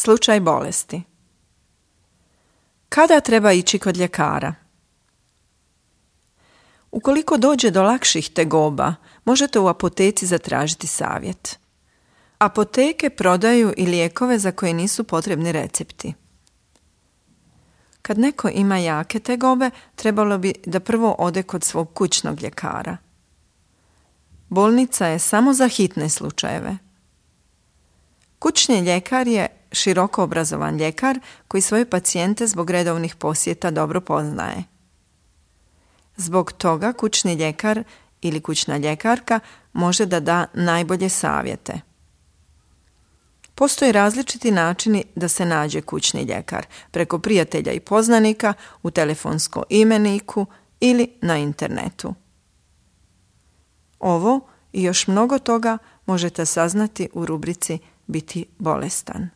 Slučaj bolesti. Kada treba ići kod ljekara? Ukoliko dođe do lakših tegoba, možete u apoteci zatražiti savjet. Apoteke prodaju i lijekove za koje nisu potrebni recepti. Kad neko ima jake tegobe, trebalo bi da prvo ode kod svog kućnog ljekara. Bolnica je samo za hitne slučajeve. Kućni ljekar je široko obrazovan ljekar koji svoje pacijente zbog redovnih posjeta dobro poznaje. Zbog toga kućni ljekar ili kućna ljekarka može da da najbolje savjete. Postoje različiti načini da se nađe kućni ljekar, preko prijatelja i poznanika, u telefonskom imeniku ili na internetu. Ovo i još mnogo toga možete saznati u rubrici Biti bolestan.